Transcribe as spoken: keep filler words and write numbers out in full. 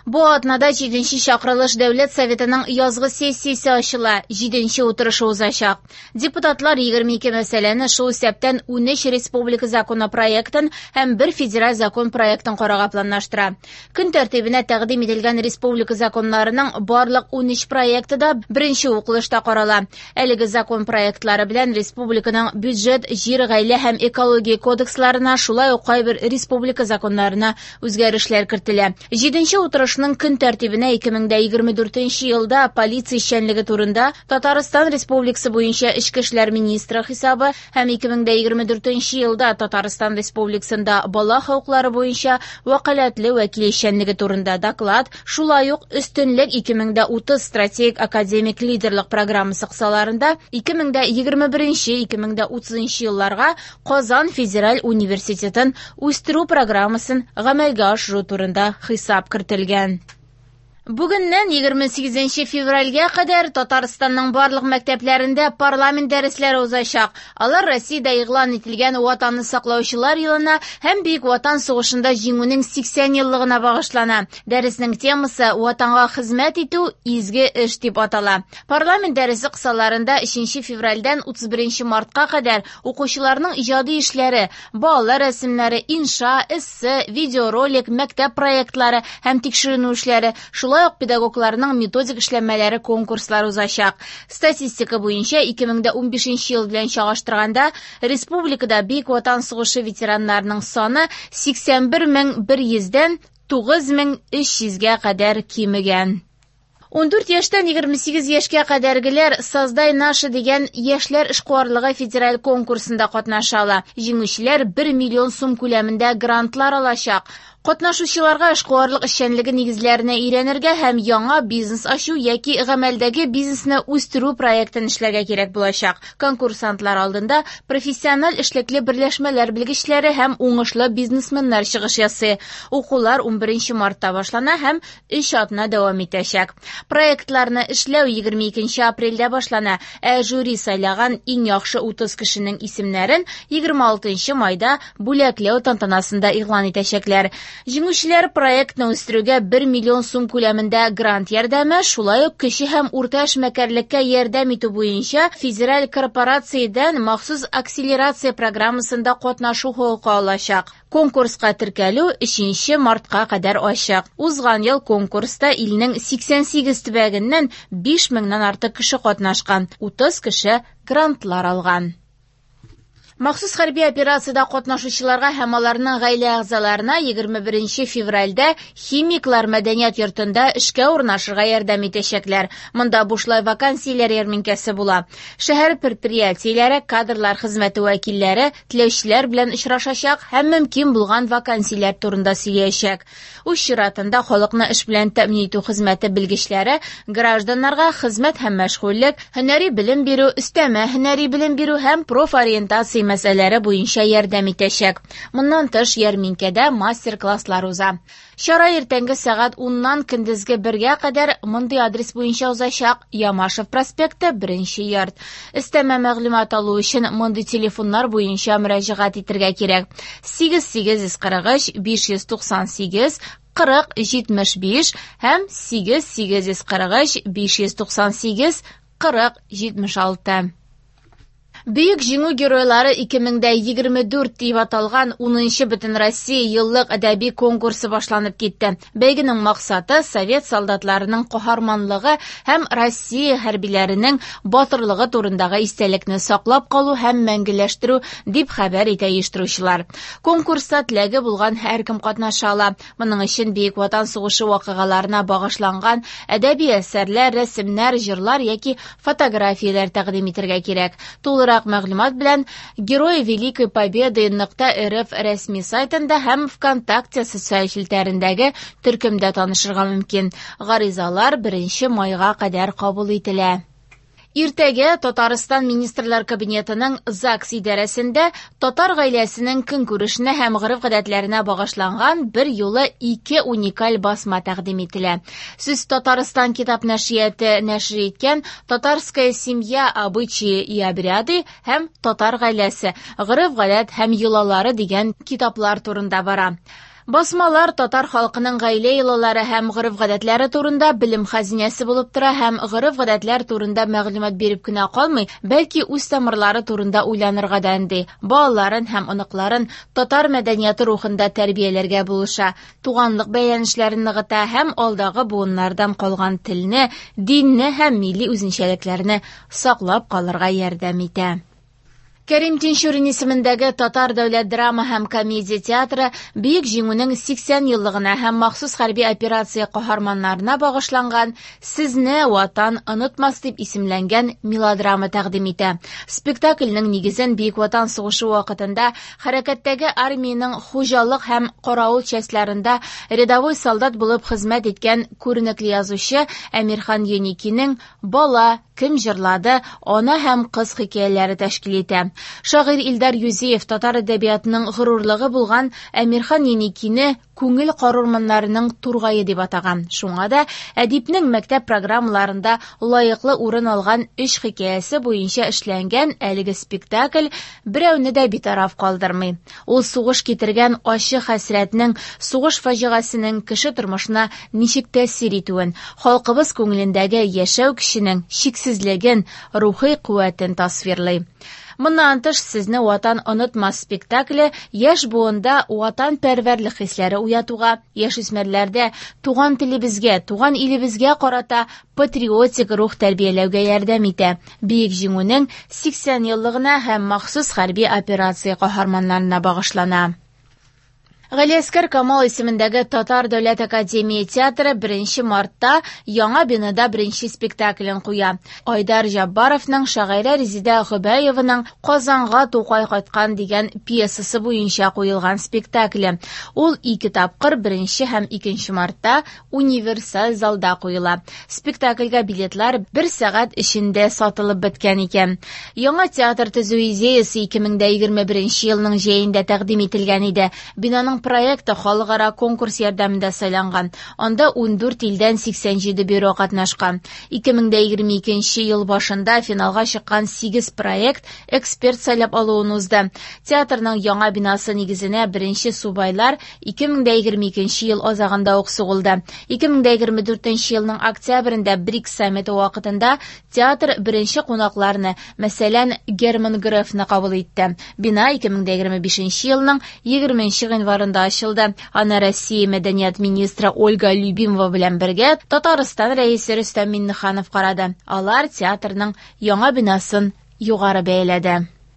Бу атнада җиденче чакырылыш Дәүләт Советының язгы сессиясе ачыла, җиденче утырышы узачак. Депутатлар егерме ике мәсьәләне, шул исәптән унөч республика законопроектын һәм бер федераль закон проектын карарга планлаштыра. Көн тәртибенә тәкъдим ителгән республика законнарының барлык унөч проекты да беренче укылышта карала. Әлеге закон проектлары белән республиканың бюджет, җир, гаилә һәм экология кодексларына, шулай ук кайбер республика законнарына үзгәрешләр кертелә. Җиденче утырышның көн тәртибенә ике мең дә егерме дүртенче елда полиция эшчәнлеге турында Татарстан Республикасы буенча Эчке эшләр министры хисабы һәм ике мең дә егерме дүртенче елда Татарстан Республикасында бала хокуклары буенча вәкаләтле вәкил эшчәнлеге турында доклад, шулай ук өстенлек ике мең дә утыз стратегик академик лидерлык программасы кысаларында ике мең дә егерме беренче ике мең дә утызынчы елларга Казан федераль университетын үстерү программасын гамәлгә ашыру турында хисап кертелгән. Бүгеннән егерме сигезенче февральгә кадәр Татарстанның барлык мәктәпләрендә парламент дәресләре узачак. Алар Россиядә игълан ителгән Ватанны саклаучылар елына һәм Бөек Ватан сугышында җиңүнең сиксән еллыгына багышлана. Дәреснең темасы Ватанга хезмәт итү изге эш дип атала. Парламент дәресе кысаларында өченче февральдән утыз беренче мартка кадәр укучыларның иҗади эшләре, балалар рәсемнәре, инша, эссе, видеоролик, мәктәп проектлары һәм тикшеренү эшләре, шулай ук педагогларның методик эшләнмәләре конкурслары узачак. Статистика буенча ике мең дә унбишенче ел белән чагыштырганда республикада Бөек Ватан сугышы ветераннарының саны сиксән бер мең бер йөздән тугыз мең өч йөзгә кадәр кимегән. Ундүрт яшьтән егерме сигез яшькә кадәргеләр Создай наше дигән яшьләр эшкуарлыгы федераль конкурсында катнаша ала. Җиңүчеләр бер миллион сум күләмендә грантлар алачак. Катнашучыларга эшкуарлык эшчәнлеге нигезләренә өйрәнергә һәм яңа бизнес ачу яки гамәлдәге бизнесны үстерү проектын эшләргә кирәк булачак. Конкурсантлар алдында профессиональ эшлекле берләшмәләр белгечләре һәм уңышлы бизнесменнар чыгыш ясый. Укулар унберенче мартта башлана һәм өч атна дәвам итәчәк. Проектларны эшләү егерме икенче апрельдә башлана, ә жюри сайлаган иң яхшы утыз кешенең исемнәрен егерме алтынчы майда бүләкләү тантанасында игълан итәчәкләр. Җиңүчеләр проектны үстерүгә бер миллион сум күләмендә грант ярдәме, шулай ук кече һәм урта эшмәкәрлеккә ярдәм итү буенча федераль корпорациядән махсус акселерация программасында катнашу хокукы алачак. Конкурска теркәлү өченче мартка кадәр ачык. Узган ел конкурста илнең сиксән сигез төбәгеннән биш меңнән артык кеше катнашкан, утыз кеше грантлар алган. Махсус хәрби операциядә катнашучыларга һәм аларның гаилә әгъзаларына егерме беренче февральдә Химиклар мәдәният йортында эшкә урнашырга ярдәм итәчәкләр. Монда бушлай вакансияләр ярминкәсе була. Шәһәр предприятиеләре, кадрлар хезмәте вәкилләре теләүчеләр белән очрашачак һәм мөмкин булган вакансияләр турында сөйләячәк. Үз чиратында халыкны эш белән тәэмин итү хезмәте белгечләре гражданнарга хезмәт һәм мәшгульлек, һөнәри белем бирү, өстәмә һөнәри белем бирү һәм профориентация мәсьәләләре буенча ярдәм итәчәк. Моннан тыш ярминкәдә мастер-класслар уза. Чара иртәнге сәгать уннан көндезге бергә кадәр мондый адрес буенча узачак: Ямашев проспекты, беренче йорт. Өстәмә мәгълүмат алу өчен мондый телефоннар буенча мөрәҗәгать итәргә кирәк: сигез сигез йөз кырык өч, биш йөз туксан сигез, кырык җитмеш биш һәм сигез сигез йөз кырык өч, биш йөз туксан сигез, кырык җитмеш алты. Бөек Җиңү геройлары ике мең дә егерме дүрт дип аталган унынчы Бөтенроссия еллык әдәби конкурсы башланып китте. Бәйгенең максаты совет солдатларының каһарманлыгы һәм Россия хәрбиләренең батырлыгы турындагы истәлекне саклап калу һәм мәңгеләштерү дип хәбәр итә оештыручылар. Конкурста теләге булган һәркем катнаша ала. Моның өчен Бөек Ватан сугышы вакыйгаларына багышланган әдәби әсәрләр, рәсемнәр, җырлар яки фотографияләр тәкъдим итәргә кирәк. Тулырак мәгълүмат белән Герои Великой Победы нокта рф рәсми сайтында һәм ВКонтакте социаль челтәрендәге төркемдә танышырга мөмкин. Гаризалар беренче майга кадәр кабул ителә. Иртәгә Татарстан Министрлар Кабинетының ЗАГС идарәсендә татар гаиләсенең көнкүрешенә һәм гореф-гадәтләренә багышланган бер юлы ике уникаль басма тәкъдим ителә. Сүз Татарстан китап нәшрияты нәшер иткән Татарская семья, обычаи и обряды һәм Татар гаиләсе, гореф-гадәт һәм йолалары дигән китаплар турында бара. Басмалар татар халкының гаилә йолалары һәм гореф-гадәтләре турында белем хәзинәсе булып тора һәм гореф-гадәтләр турында мәгълүмат биреп кенә калмый, бәлки үз тамырлары турында уйланырга да өнди, балаларын һәм оныкларын татар мәдәнияте рухында тәрбияләргә булыша, туганлык бәйләнешләрен ныгыта һәм алдагы буыннардан калган телне, динне һәм милли үзенчәлекләрне саклап калырга ярдәм итә. Кәрим Тинчурин исемендәге Татар дәүләт драма һәм комедия театры Бөек Җиңүнең сиксән еллыгына һәм махсус хәрби операция каһарманнарына багышланган «Сезне Ватан онытмас» дип исемләнгән мелодрама тәкъдим итә. Спектакльнең нигезен Бөек Ватан сугышы вакытында хәрәкәттәге армиянең хуҗалык һәм каравыл частьларында рядовой солдат булып хезмәт иткән күренекле язучы Әмирхан Еникинең «Бала», «Кем җырлады», «Ана һәм кыз» хикәяләре тәшкил итә. Шагыйрь Илдар Юзеев татар әдәбиятының горурлыгы булган Әмирхан Еникине күңел карурманнарының тургае дип атаган. Шуңа да әдипнең мәктәп программаларында лаеклы урын алган өч хикәясе буенча эшләнгән әлеге спектакль берәүне дә битараф калдырмый. Ул сугыш китергән ачы хәсрәтнең, сугыш фаҗигасенең кеше тормышына ничек тәэсир итүен, халкыбыз күңелендәге яшәү көченең чиксезлеген, рухи куәтен тасвирлый. Моннан тыш, «Сезне Ватан онытмас» спектакле яшь буында ватанпәрвәрлек хисләре уятуга, яшүсмерләрдә туган телебезгә, туган илебезгә карата патриотик рух тәрбияләүгә ярдәм итә. Бөек Җиңүнең сиксән еллыгына һәм махсус хәрби операция каһарманнарына багышлана. Галиәсгар Камал исемендәге Татар дәүләт академия театры беренче мартта яңа бинада беренче спектаклен куя. Айдар Җаббаровның шагыйрә Резидә Гобәеваның «Казанга Тукай кайткан» дигән пьесасы буенча куелган спектакле. Ул ике тапкыр беренче һәм икенче мартта универсаль залда куела. Спектакльгә билетлар бер сәгать эчендә сатылып беткән икән. Яңа театр төзү идеясе ике мең дә егерме беренче елның җәендә тәкъдим ителгән иде. Бинаның проекты халыкара конкурс ярдәмендә сайланган. Анда ундүрт илдән сиксән җиде бюро катнашкан. Ике мең дә егерме икенче ел башында финалга чыккан сигез проект эксперт сайлап алуын узды. Театрның яңа бинасы нигезенә беренче субайлар ике мең дә егерме икенче ел азагында ук сугылды. Ике мең дә егерме дүртенче елның октябрендә БРИКС саммиты вакытында театр беренче кунакларны, мәсәлән, Герман Грефны кабул итте. Бина ике мең дә егерме бишенче елның егерменче гыйнварында ачылды. Аны Россия мәдәният министры Ольга Любимова белән бергә Татарстан рәисе Рөстәм Миңнеханов карады. Алар театрның яңа бинасын югары бәяләде.